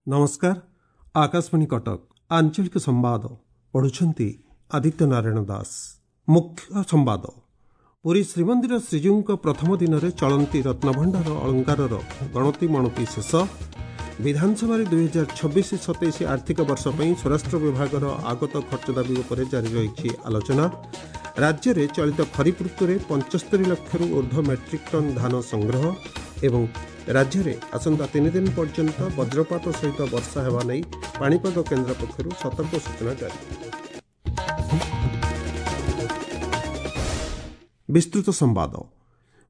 ନମସ୍କାର, ଆକାଶବାଣୀ କଟକ, ଆଞ୍ଚଳିକ ସମ୍ବାଦ ପଢୁଛନ୍ତି ଆଦିତ୍ୟ ନାରାୟଣ ଦାସ। ମୁଖ୍ୟ ସମ୍ବାଦ। ପୁରୀ ଶ୍ରୀମନ୍ଦିର ଶ୍ରୀଜୀଉଙ୍କ ପ୍ରଥମ ଦିନରେ ଚଳନ୍ତି ରତ୍ନଭଣ୍ଡାର ଅଳଙ୍କାରର ଗଣତି ମଣତି ଶେଷ। ବିଧାନସଭାରେ 2026-27 ଆର୍ଥିକ ବର୍ଷ ପାଇଁ ସ୍ୱରାଷ୍ଟ୍ର ବିଭାଗର ଆଗତ ଖର୍ଚ୍ଚ ଦାବି ଉପରେ ଜାରି ରହିଛି ଆଲୋଚନା। ରାଜ୍ୟରେ ଚଳିତ ଖରିଫ ଋତୁରେ 75 ଲକ୍ଷରୁ ଉର୍ଦ୍ଧ୍ୱ ମେଟ୍ରିକ୍ ଟନ୍ ଧାନ ସଂଗ୍ରହ ଏବଂ ରାଜ୍ୟରେ ଆସନ୍ତା 3 ଦିନ ପର୍ଯ୍ୟନ୍ତ ବଜ୍ରପାତ ସହିତ ବର୍ଷା ହେବା ନେଇ ପାଣିପାଗ କେନ୍ଦ୍ର ପକ୍ଷରୁ ସତର୍କ ସୂଚନା ଜାରି। ବିସ୍ତୃତ ସମ୍ବାଦ।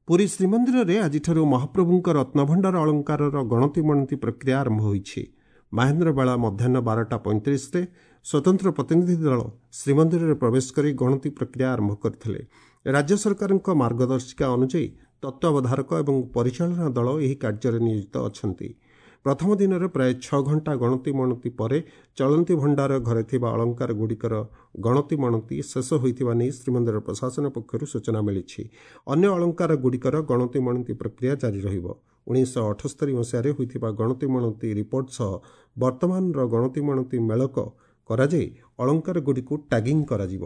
ପୁରୀ ଶ୍ରୀମନ୍ଦିରରେ ଆଜିଠାରୁ ମହାପ୍ରଭୁଙ୍କ ରତ୍ନଭଣ୍ଡାର ଅଳଙ୍କାରର ଗଣତି ମଣତି ପ୍ରକ୍ରିୟା ଆରମ୍ଭ ହୋଇଛି। ମାହେନ୍ଦ୍ର ବେଳା ମଧ୍ୟାହ୍ନ 12ଟା 35ରେ ସ୍ୱତନ୍ତ୍ର ପ୍ରତିନିଧି ଦଳ ଶ୍ରୀମନ୍ଦିରରେ ପ୍ରବେଶ କରି ଗଣତି ପ୍ରକ୍ରିୟା ଆରମ୍ଭ କରିଥିଲେ। ରାଜ୍ୟ ସରକାରଙ୍କ ମାର୍ଗଦର୍ଶିକା ଅନୁଯାୟୀ ତତ୍ତ୍ୱାବଧାରକ ଏବଂ ପରିଚାଳନା ଦଳ ଏହି କାର୍ଯ୍ୟରେ ନିୟୋଜିତ ଅଛନ୍ତି। ପ୍ରଥମ ଦିନରେ ପ୍ରାୟ 6 ଘଣ୍ଟା ଗଣତି ମଣତି ପରେ ଚଳନ୍ତି ଭଣ୍ଡାର ଘରେ ଥିବା ଅଳଙ୍କାର ଗୁଡ଼ିକର ଗଣତି ମଣତି ଶେଷ ହୋଇଥିବା ନେଇ ଶ୍ରୀମନ୍ଦିର ପ୍ରଶାସନ ପକ୍ଷରୁ ସୂଚନା ମିଳିଛି। ଅନ୍ୟ ଅଳଙ୍କାର ଗୁଡ଼ିକର ଗଣତି ମଣତି ପ୍ରକ୍ରିୟା ଜାରି ରହିବ। 1978 ମସିହାରେ ହୋଇଥିବା ଗଣତି ମଣତି ରିପୋର୍ଟ ସହ ବର୍ତ୍ତମାନର ଗଣତି ମଣତି ମେଳକ କରାଯାଇ ଅଳଙ୍କାର ଗୁଡ଼ିକୁ ଟ୍ୟାଗିଂ କରାଯିବ।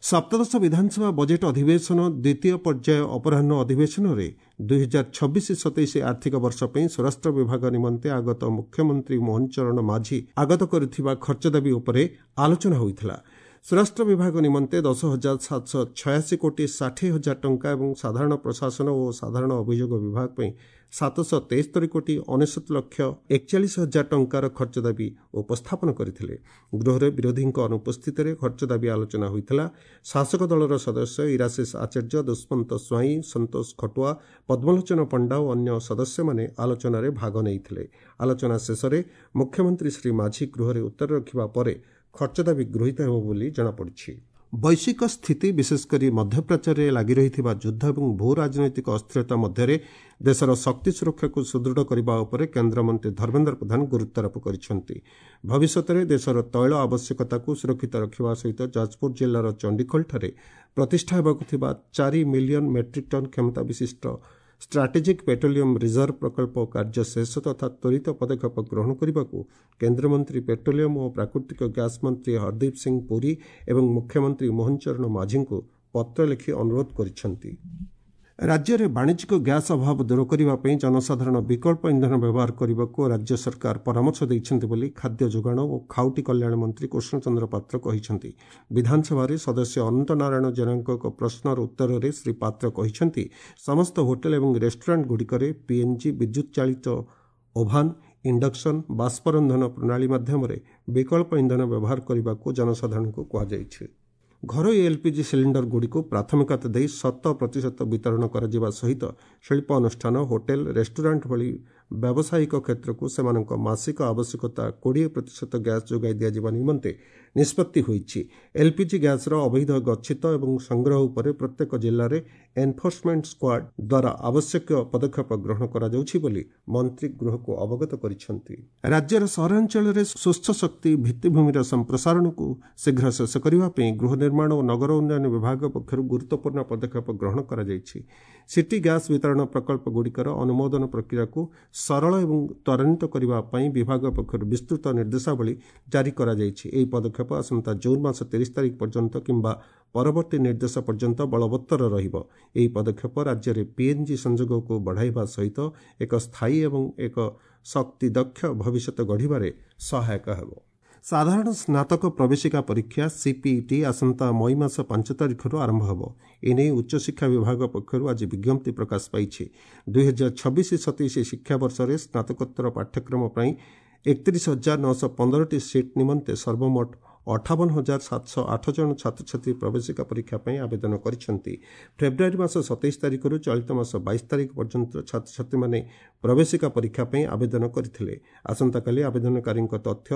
ସପ୍ତଦଶ ବିଧାନସଭା ବଜେଟ୍ ଅଧିବେଶନ ଦ୍ୱିତୀୟ ପର୍ଯ୍ୟାୟ ଅପରାହ୍ନ ଅଧିବେଶନରେ 2026-27 ଆର୍ଥିକ ବର୍ଷ ପାଇଁ ସ୍ୱରାଷ୍ଟ୍ର ବିଭାଗ ନିମନ୍ତେ ଆଗତ ମୁଖ୍ୟମନ୍ତ୍ରୀ ମୋହନ ଚରଣ ମାଝୀ ଆଗତ କରିଥିବା ଖର୍ଚ୍ଚ ଦାବି ଉପରେ ଆଲୋଚନା ହୋଇଥିଲା। ସ୍ୱରାଷ୍ଟ୍ର ବିଭାଗ ନିମନ୍ତେ 10,786 କୋଟି 60 ହଜାର ଟଙ୍କା ଏବଂ ସାଧାରଣ ପ୍ରଶାସନ ଓ ସାଧାରଣ ଅଭିଯୋଗ ବିଭାଗ ପାଇଁ 773 କୋଟି 99 ଲକ୍ଷ 41 ହଜାର ଟଙ୍କାର ଖର୍ଚ୍ଚ ଦାବି ଉପସ୍ଥାପନ କରିଥିଲେ। ଗୃହରେ ବିରୋଧୀଙ୍କ ଅନୁପସ୍ଥିତିରେ ଖର୍ଚ୍ଚ ଦାବି ଆଲୋଚନା ହୋଇଥିଲା। ଶାସକ ଦଳର ସଦସ୍ୟ ଇରାଶିଷ ଆଚାର୍ଯ୍ୟ, ଦୁଷ୍ମନ୍ତ ସ୍ୱାଇଁ, ସନ୍ତୋଷ ଖଟୁଆ, ପଦ୍ମଲୋଚନ ପଣ୍ଡା ଓ ଅନ୍ୟ ସଦସ୍ୟମାନେ ଆଲୋଚନାରେ ଭାଗ ନେଇଥିଲେ। ଆଲୋଚନା ଶେଷରେ ମୁଖ୍ୟମନ୍ତ୍ରୀ ଶ୍ରୀ ମାଝୀ ଗୃହରେ ଉତ୍ତର ରଖିବା ପରେ ଖର୍ଚ୍ଚ ଦାବି ଗୃହୀତ ହେବ ବୋଲି ଜଣାପଡ଼ିଛି। ବୈଶ୍ୱିକ ସ୍ଥିତି, ବିଶେଷକରି ମଧ୍ୟପ୍ରାଚ୍ୟରେ ଲାଗି ରହିଥିବା ଯୁଦ୍ଧ ଏବଂ ଭୂ ରାଜନୈତିକ ଅସ୍ଥିରତା ମଧ୍ୟରେ ଦେଶର ଶକ୍ତି ସୁରକ୍ଷାକୁ ସୁଦୃଢ଼ କରିବା ଉପରେ କେନ୍ଦ୍ରମନ୍ତ୍ରୀ ଧର୍ମେନ୍ଦ୍ର ପ୍ରଧାନ ଗୁରୁତ୍ୱାରୋପ କରିଛନ୍ତି। ଭବିଷ୍ୟତରେ ଦେଶର ତୈଳ ଆବଶ୍ୟକତାକୁ ସୁରକ୍ଷିତ ରଖିବା ସହିତ ଯାଜପୁର ଜିଲ୍ଲାର ଚଣ୍ଡିଖୋଲଠାରେ ପ୍ରତିଷ୍ଠା ହେବାକୁ ଥିବା 4 ମିଲିୟନ ମେଟ୍ରିକ୍ ଟନ୍ କ୍ଷମତା ବିଶିଷ୍ଟ ଷ୍ଟ୍ରାଟେଜିକ୍ ପେଟ୍ରୋଲିୟମ ରିଜର୍ଭ ପ୍ରକଳ୍ପ କାର୍ଯ୍ୟ ଶେଷ ତଥା ତ୍ୱରିତ ପଦକ୍ଷେପ ଗ୍ରହଣ କରିବାକୁ କେନ୍ଦ୍ରମନ୍ତ୍ରୀ ପେଟ୍ରୋଲିୟମ ଓ ପ୍ରାକୃତିକ ଗ୍ୟାସ୍ ମନ୍ତ୍ରୀ ହରଦୀପ ସିଂ ପୁରୀ ଏବଂ ମୁଖ୍ୟମନ୍ତ୍ରୀ ମୋହନ ଚରଣ ମାଝୀଙ୍କୁ ପତ୍ର ଲେଖି ଅନୁରୋଧ କରିଛନ୍ତି। ରାଜ୍ୟରେ ବାଣିଜ୍ୟିକ ଗ୍ୟାସ୍ ଅଭାବ ଦୂର କରିବା ପାଇଁ ଜନସାଧାରଣ ବିକଳ୍ପ ଇନ୍ଧନ ବ୍ୟବହାର କରିବାକୁ ରାଜ୍ୟ ସରକାର ପରାମର୍ଶ ଦେଇଛନ୍ତି ବୋଲି ଖାଦ୍ୟ ଯୋଗାଣ ଓ ଖାଉଟି କଲ୍ୟାଣ ମନ୍ତ୍ରୀ କୃଷ୍ଣଚନ୍ଦ୍ର ପାତ୍ର କହିଛନ୍ତି। ବିଧାନସଭାରେ ସଦସ୍ୟ ଅନନ୍ତ ନାରାୟଣ ଜେନାଙ୍କ ଏକ ପ୍ରଶ୍ନର ଉତ୍ତରରେ ଶ୍ରୀ ପାତ୍ର କହିଛନ୍ତି, ସମସ୍ତ ହୋଟେଲ ଏବଂ ରେଷ୍ଟୁରାଣ୍ଟଗୁଡ଼ିକରେ ପିଏନ୍ଜି, ବିଦ୍ୟୁତ୍ ଚାଳିତ ଓଭାନ୍, ଇଣ୍ଡକ୍ସନ୍, ବାଷ୍ପ ରନ୍ଧନ ପ୍ରଣାଳୀ ମାଧ୍ୟମରେ ବିକଳ୍ପ ଇନ୍ଧନ ବ୍ୟବହାର କରିବାକୁ ଜନସାଧାରଣଙ୍କୁ କୁହାଯାଇଛି। ଘରୋଇ ଏଲ୍ପିଜି ସିଲିଣ୍ଡରଗୁଡ଼ିକୁ ପ୍ରାଥମିକତା ଦେଇ ଶତ ପ୍ରତିଶତ ବିତରଣ କରାଯିବା ସହିତ ଶିଳ୍ପ ଅନୁଷ୍ଠାନ, ହୋଟେଲ, ରେଷ୍ଟୁରାଣ୍ଟ ଭଳି ବ୍ୟାବସାୟିକ କ୍ଷେତ୍ରକୁ ସେମାନଙ୍କ ମାସିକ ଆବଶ୍ୟକତା 20% ଗ୍ୟାସ୍ ଯୋଗାଇ ଦିଆଯିବା ନିମନ୍ତେ ନିଷ୍ପତ୍ତି ହୋଇଛି। ଏଲ୍ପିଜି ଗ୍ୟାସ୍ର ଅବୈଧ ଗଚ୍ଛିତ ଏବଂ ସଂଗ୍ରହ ଉପରେ ପ୍ରତ୍ୟେକ ଜିଲ୍ଲାରେ ଏନ୍ଫୋର୍ସମେଣ୍ଟ ସ୍କ୍ୱାଡ୍ ଦ୍ୱାରା ଆବଶ୍ୟକୀୟ ପଦକ୍ଷେପ ଗ୍ରହଣ କରାଯାଉଛି ବୋଲି ମନ୍ତ୍ରୀ ଗୃହକୁ ଅବଗତ କରିଛନ୍ତି। ରାଜ୍ୟର ସହରାଞ୍ଚଳରେ ସ୍ୱଚ୍ଛ ଶକ୍ତି ଭିତ୍ତିଭୂମିର ସମ୍ପ୍ରସାରଣକୁ ଶୀଘ୍ର ଶେଷ କରିବା ପାଇଁ ଗୃହ ନିର୍ମାଣ ଓ ନଗର ଉନ୍ନୟନ ବିଭାଗ ପକ୍ଷରୁ ଗୁରୁତ୍ୱପୂର୍ଣ୍ଣ ପଦକ୍ଷେପ ଗ୍ରହଣ କରାଯାଇଛି। ସିଟି ଗ୍ୟାସ୍ ବିତରଣ ପ୍ରକଳ୍ପଗୁଡ଼ିକର ଅନୁମୋଦନ ପ୍ରକ୍ରିୟାକୁ ସରଳ ଏବଂ ତ୍ୱରାନ୍ୱିତ କରିବା ପାଇଁ ବିଭାଗ ପକ୍ଷରୁ ବିସ୍ତୃତ ନିର୍ଦ୍ଦେଶାବଳୀ ଜାରି କରାଯାଇଛି। ଏହି ପଦକ୍ଷେପ ଆସନ୍ତା ଜୁନ୍ ମାସ 30 ତାରିଖ ପର୍ଯ୍ୟନ୍ତ କିମ୍ବା ପରବର୍ତ୍ତୀ ନିର୍ଦ୍ଦେଶ ପର୍ଯ୍ୟନ୍ତ ବଳବତ୍ତର ରହିବ। ଏହି ପଦକ୍ଷେପ ରାଜ୍ୟରେ ପିଏନ୍ଜି ସଂଯୋଗକୁ ବଢ଼ାଇବା ସହିତ ଏକ ସ୍ଥାୟୀ ଏବଂ ଏକ ଶକ୍ତି ଦକ୍ଷ ଭବିଷ୍ୟତ ଗଢ଼ିବାରେ ସହାୟକ ହେବ। ସାଧାରଣ ସ୍ନାତକ ପ୍ରବେଶିକା ପରୀକ୍ଷା ସିପିଇଟି ଆସନ୍ତା ମଇ ମାସ 5 ତାରିଖରୁ ଆରମ୍ଭ ହେବ। ଏନେଇ ଉଚ୍ଚଶିକ୍ଷା ବିଭାଗ ପକ୍ଷରୁ ଆଜି ବିଜ୍ଞପ୍ତି ପ୍ରକାଶ ପାଇଛି। 2026-27 ଶିକ୍ଷାବର୍ଷରେ ସ୍ନାତକୋତ୍ତର ପାଠ୍ୟକ୍ରମ ପାଇଁ 31,915ଟି ସିଟ୍ ନିମନ୍ତେ ସର୍ବମୋଟ 58,708 ଜଣ ଛାତ୍ରଛାତ୍ରୀ ପ୍ରବେଶିକା ପରୀକ୍ଷା ପାଇଁ ଆବେଦନ କରିଛନ୍ତି। ଫେବୃଆରୀ ମାସ 27 ତାରିଖରୁ ଚଳିତ ମାସ 22 ତାରିଖ ପର୍ଯ୍ୟନ୍ତ ଛାତ୍ରଛାତ୍ରୀମାନେ ପ୍ରବେଶିକା ପରୀକ୍ଷା ପାଇଁ ଆବେଦନ କରିଥିଲେ। ଆସନ୍ତାକାଲି ଆବେଦନକାରୀଙ୍କ ତଥ୍ୟ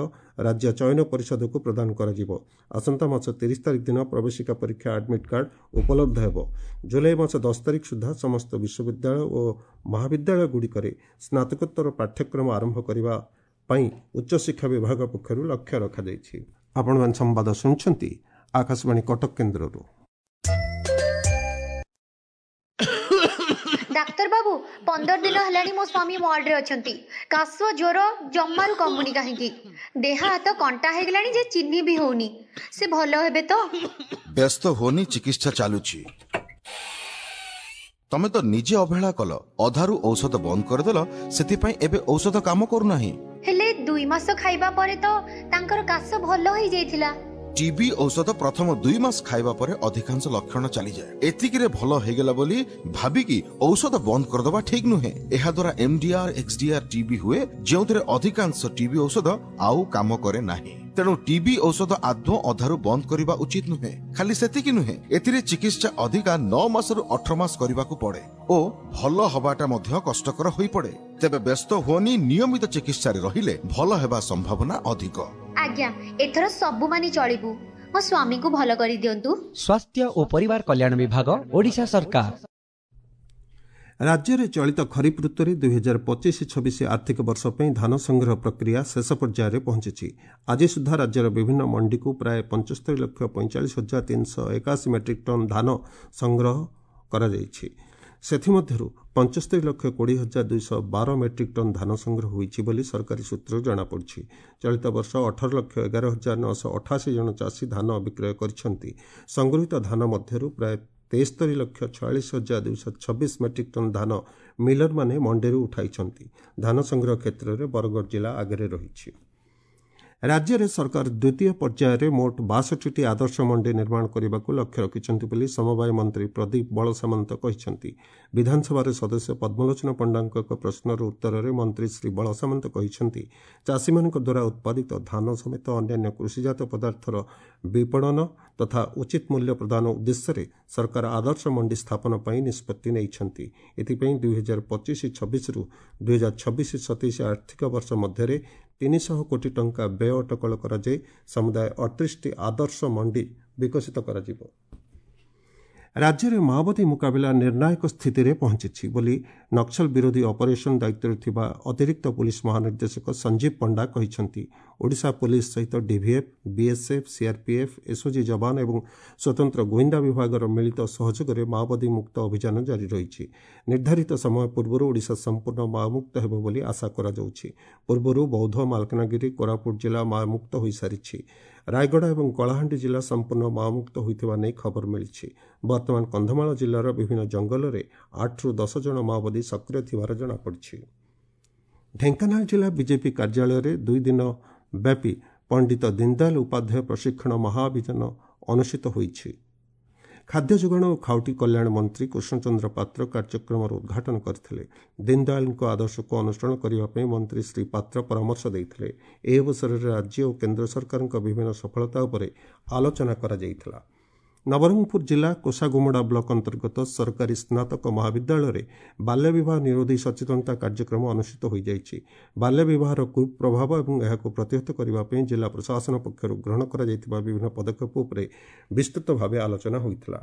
ରାଜ୍ୟ ଚୟନ ପରିଷଦକୁ ପ୍ରଦାନ କରାଯିବ। ଆସନ୍ତା ମାସ 30 ତାରିଖ ଦିନ ପ୍ରବେଶିକା ପରୀକ୍ଷା ଆଡମିଟ୍ କାର୍ଡ ଉପଲବ୍ଧ ହେବ। ଜୁଲାଇ ମାସ 10 ତାରିଖ ସୁଦ୍ଧା ସମସ୍ତ ବିଶ୍ୱବିଦ୍ୟାଳୟ ଓ ମହାବିଦ୍ୟାଳୟଗୁଡ଼ିକରେ ସ୍ନାତକୋତ୍ତର ପାଠ୍ୟକ୍ରମ ଆରମ୍ଭ କରିବା ପାଇଁ ଉଚ୍ଚଶିକ୍ଷା ବିଭାଗ ପକ୍ଷରୁ ଲକ୍ଷ୍ୟ ରଖାଯାଇଛି। ଆପଣମାନେ ସମ୍ବାଦ ଶୁଣୁଛନ୍ତି ଆକାଶବାଣୀ କଟକ କେନ୍ଦ୍ରରୁ। ଡାକ୍ତର ବାବୁ, 15 ଦିନ ହେଲାଣି ମୋ ସ୍ୱାମୀ ୱାର୍ଡରେ ଅଛନ୍ତି। କାଶ ଜ୍ୱର ଜମାରୁ କମୁନି କାହିଁକି? ଦେହ ହାତ କଣ୍ଟା ହେଇଗଲାଣି ଯେ ଚିହ୍ନି ବି ହଉନି। ସେ ଭଲ ହେବେ ତ? ବ୍ୟସ୍ତ ହୁଅନି, ଚିକିତ୍ସା ଚାଲୁଛି। ତମେ ତ ନିଜେ ଅବହେଳା କଲ, ଅଧାରୁ ଔଷଧ ବନ୍ଦ କରିଦେଲ, ସେଥିପାଇଁ ଏବେ ଔଷଧ କାମ କରୁନାହିଁ। ହେଲେ 2 ମାସ ଖାଇବା ପରେ ତ ତାଙ୍କର କାଶ ଭଲ ହେଇଯାଇଥିଲା। ଟିବି ଔଷଧ ପ୍ରଥମ 2 ମାସ ଖାଇବା ପରେ ଅଧିକାଂଶ ଲକ୍ଷଣ ଚାଲିଯାଏ। ଏତିକିରେ ଭଲ ହେଇଗଲା ବୋଲି ଭାବିକି ଔଷଧ ବନ୍ଦ କରିଦେବା ଠିକ ନୁହେଁ। ଏହାଦ୍ୱାରା ଏମଡିଆର, ଏକ୍ସଡିଆର ଟିବି ହୁଏ, ଯେଉଁଥିରେ ଅଧିକାଂଶ ଟିବି ଔଷଧ ଆଉ କାମ କରେ ନାହିଁ। ତେଣୁ ଟିବି ଔଷଧ ଆଦୌ ଅଧାରୁ ବନ୍ଦ କରିବା ଉଚିତ ନୁହେଁ। ଖାଲି ସେତିକି ନୁହେଁ, ଏଥିରେ ଚିକିତ୍ସା ଅଧିକା 9 ମାସରୁ 18 ମାସ କରିବାକୁ ପଡେ ଓ ଭଲ ହବାଟା ମଧ୍ୟ କଷ୍ଟକର ହୋଇପଡେ। ତେବେ ବ୍ୟସ୍ତ ହୁଅନି, ନିୟମିତ ଚିକିତ୍ସାରେ ରହିଲେ ଭଲ ହେବା ସମ୍ଭାବନା ଅଧିକ। ଆଜ୍ଞା, ଏଥର ସବୁ ମାନି ଚଳିବୁ। ମୋ ସ୍ୱାମୀଙ୍କୁ ଭଲ କରିଦିଅନ୍ତୁ। ସ୍ୱାସ୍ଥ୍ୟ ଓ ପରିବାର କଲ୍ୟାଣ ବିଭାଗ, ଓଡ଼ିଶା ସରକାର। ରାଜ୍ୟରେ ଚଳିତ ଖରିଫ ଋତୁରେ 2025-26 ଆର୍ଥିକ ବର୍ଷ ପାଇଁ ଧାନ ସଂଗ୍ରହ ପ୍ରକ୍ରିୟା ଶେଷ ପର୍ଯ୍ୟାୟରେ ପହଞ୍ଚିଛି। ଆଜି ସୁଦ୍ଧା ରାଜ୍ୟର ବିଭିନ୍ନ ମଣ୍ଡିକୁ ପ୍ରାୟ 75,45,381 ମେଟ୍ରିକ୍ ଟନ୍ ଧାନ ସଂଗ୍ରହ କରାଯାଇଛି। ସେଥିମଧ୍ୟରୁ 75,20,212 ମେଟ୍ରିକ୍ ଟନ୍ ଧାନ ସଂଗ୍ରହ ହୋଇଛି ବୋଲି ସରକାରୀ ସୂତ୍ରରୁ ଜଣାପଡ଼ିଛି। ଚଳିତ ବର୍ଷ 18,11,988 ଜଣ ଚାଷୀ ଧାନ ବିକ୍ରୟ କରିଛନ୍ତି। ସଂଗୃହୀତ ଧାନ ମଧ୍ୟରୁ ପ୍ରାୟ 73,46,226 ମେଟ୍ରିକ୍ ଟନ୍ ଧାନ ମିଲରମାନେ ମଣ୍ଡିରୁ ଉଠାଇଛନ୍ତି। ଧାନ ସଂଗ୍ରହ କ୍ଷେତ୍ରରେ ବରଗଡ଼ ଜିଲ୍ଲା ଆଗରେ ରହିଛି। ରାଜ୍ୟରେ ସରକାର ଦ୍ୱିତୀୟ ପର୍ଯ୍ୟାୟରେ ମୋଟ 62ଟି ଆଦର୍ଶ ମଣ୍ଡି ନିର୍ମାଣ କରିବାକୁ ଲକ୍ଷ୍ୟ ରଖିଛନ୍ତି ବୋଲି ସମବାୟ ମନ୍ତ୍ରୀ ପ୍ରଦୀପ ବଳସାମନ୍ତ କହିଛନ୍ତି। ବିଧାନସଭାରେ ସଦସ୍ୟ ପଦ୍ମଲୋଚନ ପଣ୍ଡାଙ୍କ ଏକ ପ୍ରଶ୍ନର ଉତ୍ତରରେ ମନ୍ତ୍ରୀ ଶ୍ରୀ ବଳସାମନ୍ତ କହିଛନ୍ତି, ଚାଷୀମାନଙ୍କ ଦ୍ୱାରା ଉତ୍ପାଦିତ ଧାନ ସମେତ ଅନ୍ୟାନ୍ୟ କୃଷିଜାତ ପଦାର୍ଥର ବିପଣନ ତଥା ଉଚିତ ମୂଲ୍ୟ ପ୍ରଦାନ ଉଦ୍ଦେଶ୍ୟରେ ସରକାର ଆଦର୍ଶ ମଣ୍ଡି ସ୍ଥାପନ ପାଇଁ ନିଷ୍ପତ୍ତି ନେଇଛନ୍ତି। ଏଥିପାଇଁ 2025-26ରୁ 2026-27 ଆର୍ଥିକ ବର୍ଷ ମଧ୍ୟରେ 300 କୋଟି ଟଙ୍କା ବ୍ୟୟ ଅଟକଳ କରାଯାଇ ସମୁଦାୟ 38ଟି ଆଦର୍ଶ ମଣ୍ଡି ବିକଶିତ କରାଯିବ। ରାଜ୍ୟରେ ମାଓବାଦୀ ମୁକାବିଲା ନିର୍ଣ୍ଣାୟକ ସ୍ଥିତିରେ ପହଞ୍ଚିଛି ବୋଲି ନକ୍ସଲ ବିରୋଧୀ ଅପରେସନ ଦାୟିତ୍ୱରେ ଥିବା ଅତିରିକ୍ତ ପୁଲିସ ମହାନିର୍ଦ୍ଦେଶକ ସଞ୍ଜୀବ ପଣ୍ଡା କହିଛନ୍ତି। ଓଡ଼ିଶା ପୁଲିସ ସହିତ ଡିଭିଏଫ୍, ବିଏସ୍ଏଫ୍, ସିଆର୍ପିଏଫ୍, ଏସ୍ଓଜି ଯବାନ ଏବଂ ସ୍ୱତନ୍ତ୍ର ଗୁଇନ୍ଦା ବିଭାଗର ମିଳିତ ସହଯୋଗରେ ମାଓବାଦୀ ମୁକ୍ତ ଅଭିଯାନ ଜାରି ରହିଛି। ନିର୍ଦ୍ଧାରିତ ସମୟ ପୂର୍ବରୁ ଓଡ଼ିଶା ସମ୍ପୂର୍ଣ୍ଣ ମାଓମୁକ୍ତ ହେବ ବୋଲି ଆଶା କରାଯାଉଛି। ପୂର୍ବରୁ ବୌଦ୍ଧ, ମାଲକାନଗିରି, କୋରାପୁଟ ଜିଲ୍ଲା ମାଓମୁକ୍ତ ହୋଇସାରିଛି। ରାୟଗଡ଼ା ଏବଂ କଳାହାଣ୍ଡି ଜିଲ୍ଲା ସମ୍ପୂର୍ଣ୍ଣ ମାଓମୁକ୍ତ ହୋଇଥିବା ନେଇ ଖବର ମିଳିଛି। ବର୍ତ୍ତମାନ କନ୍ଧମାଳ ଜିଲ୍ଲାର ବିଭିନ୍ନ ଜଙ୍ଗଲରେ 8ରୁ 10 ଜଣ ମାଓବାଦୀ ସକ୍ରିୟ ଥିବାର ଜଣାପଡ଼ିଛି। ଢେଙ୍କାନାଳ ଜିଲ୍ଲା ବିଜେପି କାର୍ଯ୍ୟାଳୟରେ 2 ଦିନ ବ୍ୟାପୀ ପଣ୍ଡିତ ଦୀନଦୟାଲ ଉପାଧ୍ୟାୟ ପ୍ରଶିକ୍ଷଣ ମହାଅଭିଯାନ ଅନୁଷ୍ଠିତ ହୋଇଛି। ଖାଦ୍ୟ ଯୋଗାଣ ଓ ଖାଉଟି କଲ୍ୟାଣ ମନ୍ତ୍ରୀ କୃଷ୍ଣଚନ୍ଦ୍ର ପାତ୍ର କାର୍ଯ୍ୟକ୍ରମର ଉଦ୍ଘାଟନ କରିଥିଲେ। ଦୀନଦୟାଲଙ୍କ ଆଦର୍ଶକୁ ଅନୁସରଣ କରିବା ପାଇଁ ମନ୍ତ୍ରୀ ଶ୍ରୀ ପାତ୍ର ପରାମର୍ଶ ଦେଇଥିଲେ। ଏହି ଅବସରରେ ରାଜ୍ୟ ଓ କେନ୍ଦ୍ର ସରକାରଙ୍କ ବିଭିନ୍ନ ସଫଳତା ଉପରେ ଆଲୋଚନା କରାଯାଇଥିଲା। ନବରଙ୍ଗପୁର ଜିଲ୍ଲା କୋଷାଗୁମୁଡ଼ା ବ୍ଲକ ଅନ୍ତର୍ଗତ ସରକାରୀ ସ୍ନାତକ ମହାବିଦ୍ୟାଳୟରେ ବାଲ୍ୟବିବାହ ନିରୋଧୀ ସଚେତନତା କାର୍ଯ୍ୟକ୍ରମ ଅନୁଷ୍ଠିତ ହୋଇଯାଇଛି। ବାଲ୍ୟବିବାହର କୁପ୍ରଭାବ ଏବଂ ଏହାକୁ ପ୍ରତିହତ କରିବା ପାଇଁ ଜିଲ୍ଲା ପ୍ରଶାସନ ପକ୍ଷରୁ ଗ୍ରହଣ କରାଯାଇଥିବା ବିଭିନ୍ନ ପଦକ୍ଷେପ ଉପରେ ବିସ୍ତୃତ ଭାବେ ଆଲୋଚନା ହୋଇଥିଲା।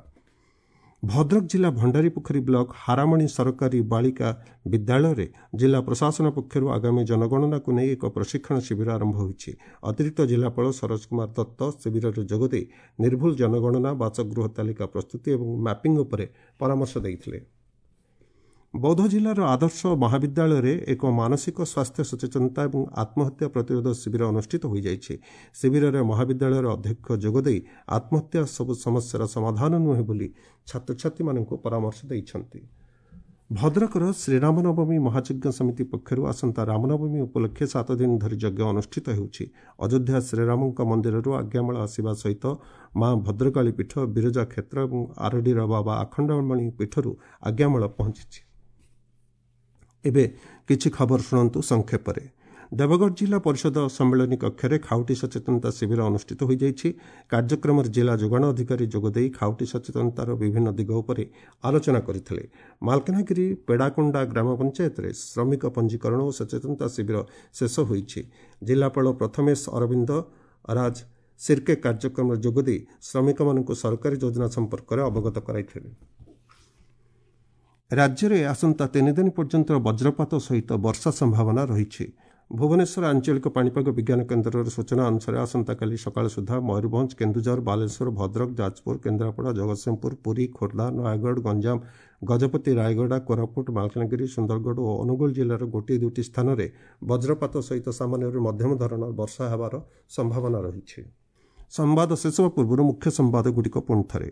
ଭଦ୍ରକ ଜିଲ୍ଲା ଭଣ୍ଡାରୀପୋଖରୀ ବ୍ଲକ ହାରାମଣି ସରକାରୀ ବାଳିକା ବିଦ୍ୟାଳୟରେ ଜିଲ୍ଲା ପ୍ରଶାସନ ପକ୍ଷରୁ ଆଗାମୀ ଜନଗଣନାକୁ ନେଇ ଏକ ପ୍ରଶିକ୍ଷଣ ଶିବିର ଆରମ୍ଭ ହୋଇଛି। ଅତିରିକ୍ତ ଜିଲ୍ଲାପାଳ ସରୋଜ କୁମାର ଦତ୍ତ ଶିବିରରେ ଯୋଗଦେଇ ନିର୍ଭୁଲ ଜନଗଣନା, ବାସଗୃହ ତାଲିକା ପ୍ରସ୍ତୁତି ଏବଂ ମ୍ୟାପିଂ ଉପରେ ପରାମର୍ଶ ଦେଇଥିଲେ। ବୌଦ୍ଧ ଜିଲ୍ଲାର ଆଦର୍ଶ ମହାବିଦ୍ୟାଳୟରେ ଏକ ମାନସିକ ସ୍ୱାସ୍ଥ୍ୟ ସଚେତନତା ଏବଂ ଆତ୍ମହତ୍ୟା ପ୍ରତିରୋଧ ଶିବିର ଅନୁଷ୍ଠିତ ହୋଇଯାଇଛି। ଶିବିରରେ ମହାବିଦ୍ୟାଳୟର ଅଧ୍ୟକ୍ଷ ଯୋଗଦେଇ ଆତ୍ମହତ୍ୟା ସବୁ ସମସ୍ୟାର ସମାଧାନ ନୁହେଁ ବୋଲି ଛାତ୍ରଛାତ୍ରୀମାନଙ୍କୁ ପରାମର୍ଶ ଦେଇଛନ୍ତି। ଭଦ୍ରକର ଶ୍ରୀରାମନବମୀ ମହାଯଜ୍ଞ ସମିତି ପକ୍ଷରୁ ଆସନ୍ତା ରାମନବମୀ ଉପଲକ୍ଷେ 7 ଦିନ ଧରି ଯଜ୍ଞ ଅନୁଷ୍ଠିତ ହେଉଛି। ଅଯୋଧ୍ୟା ଶ୍ରୀରାମଙ୍କ ମନ୍ଦିରରୁ ଆଜ୍ଞାମାଳ ଆସିବା ସହିତ ମା ଭଦ୍ରକାଳୀ ପୀଠ, ବିରଜା କ୍ଷେତ୍ର ଏବଂ ଆରଡ଼ିର ବାବା ଆଖଣ୍ଡଳମଣି ପୀଠରୁ ଆଜ୍ଞାମାଳ ପହଞ୍ଚିଛି। ଏବେ କିଛି ଖବର ଶୁଣନ୍ତୁ ସଂକ୍ଷେପରେ। ଦେବଗଡ଼ ଜିଲ୍ଲା ପରିଷଦ ସମ୍ମିଳନୀ କକ୍ଷରେ ଖାଉଟି ସଚେତନତା ଶିବିର ଅନୁଷ୍ଠିତ ହୋଇଯାଇଛି। କାର୍ଯ୍ୟକ୍ରମରେ ଜିଲ୍ଲା ଯୋଗାଣ ଅଧିକାରୀ ଯୋଗଦେଇ ଖାଉଟି ସଚେତନତାର ବିଭିନ୍ନ ଦିଗ ଉପରେ ଆଲୋଚନା କରିଥିଲେ। ମାଲକାନଗିରି ପେଡ଼ାକୁଣ୍ଡା ଗ୍ରାମ ପଞ୍ଚାୟତରେ ଶ୍ରମିକ ପଞ୍ଜୀକରଣ ଓ ସଚେତନତା ଶିବିର ଶେଷ ହୋଇଛି। ଜିଲ୍ଲାପାଳ ପ୍ରଥମେଶ ଅରବିନ୍ଦ ରାଜ ସିର୍କେ କାର୍ଯ୍ୟକ୍ରମରେ ଯୋଗଦେଇ ଶ୍ରମିକମାନଙ୍କୁ ସରକାରୀ ଯୋଜନା ସମ୍ପର୍କରେ ଅବଗତ କରାଇଥିଲେ। ରାଜ୍ୟରେ ଆସନ୍ତା 3 ଦିନ ପର୍ଯ୍ୟନ୍ତ ବଜ୍ରପାତ ସହିତ ବର୍ଷା ସମ୍ଭାବନା ରହିଛି। ଭୁବନେଶ୍ୱର ଆଞ୍ଚଳିକ ପାଣିପାଗ ବିଜ୍ଞାନ କେନ୍ଦ୍ରର ସୂଚନା ଅନୁସାରେ ଆସନ୍ତାକାଲି ସକାଳ ସୁଦ୍ଧା ମୟୂରଭଞ୍ଜ, କେନ୍ଦୁଝର, ବାଲେଶ୍ୱର, ଭଦ୍ରକ, ଯାଜପୁର, କେନ୍ଦ୍ରାପଡ଼ା, ଜଗତସିଂହପୁର, ପୁରୀ, ଖୋର୍ଦ୍ଧା, ନୟାଗଡ଼, ଗଞ୍ଜାମ, ଗଜପତି, ରାୟଗଡ଼ା, କୋରାପୁଟ, ମାଲକାନଗିରି, ସୁନ୍ଦରଗଡ଼ ଓ ଅନୁଗୁଳ ଜିଲ୍ଲାର ଗୋଟିଏ ଦୁଇଟି ସ୍ଥାନରେ ବଜ୍ରପାତ ସହିତ ସାମାନ୍ୟରୁ ମଧ୍ୟମ ଧରଣର ବର୍ଷା ହେବାର ସମ୍ଭାବନା ରହିଛି। ସମ୍ବାଦ ଶେଷ ହେବା ପୂର୍ବରୁ ମୁଖ୍ୟ ସମ୍ବାଦଗୁଡ଼ିକ ପୁଣି ଥରେ।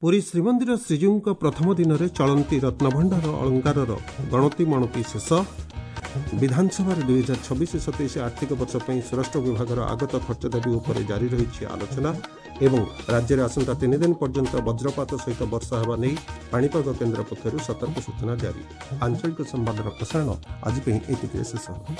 ପୁରୀ ଶ୍ରୀମନ୍ଦିର ଶ୍ରୀଜୀଉଙ୍କ ପ୍ରଥମ ଦିନରେ ଚଳନ୍ତି ରତ୍ନଭଣ୍ଡାର ଅଳଙ୍କାରର ଗଣତି ମଣତି ଶେଷ। ବିଧାନସଭାରେ 2026-27 ଆର୍ଥିକ ବର୍ଷ ପାଇଁ ସ୍ୱରାଷ୍ଟ୍ର ବିଭାଗର ଆଗତ ଖର୍ଚ୍ଚ ଦାବି ଉପରେ ଜାରି ରହିଛି ଆଲୋଚନା। ଏବଂ ରାଜ୍ୟରେ ଆସନ୍ତା 3 ଦିନ ପର୍ଯ୍ୟନ୍ତ ବଜ୍ରପାତ ସହିତ ବର୍ଷା ହେବା ନେଇ ପାଣିପାଗ କେନ୍ଦ୍ର ପକ୍ଷରୁ ସତର୍କ ସୂଚନା ଜାରି। ଆଞ୍ଚଳିକ ସମ୍ବାଦର ପ୍ରସାରଣ ଆଜି ପାଇଁ ଏତିକିରେ ଶେଷ ହେଲା।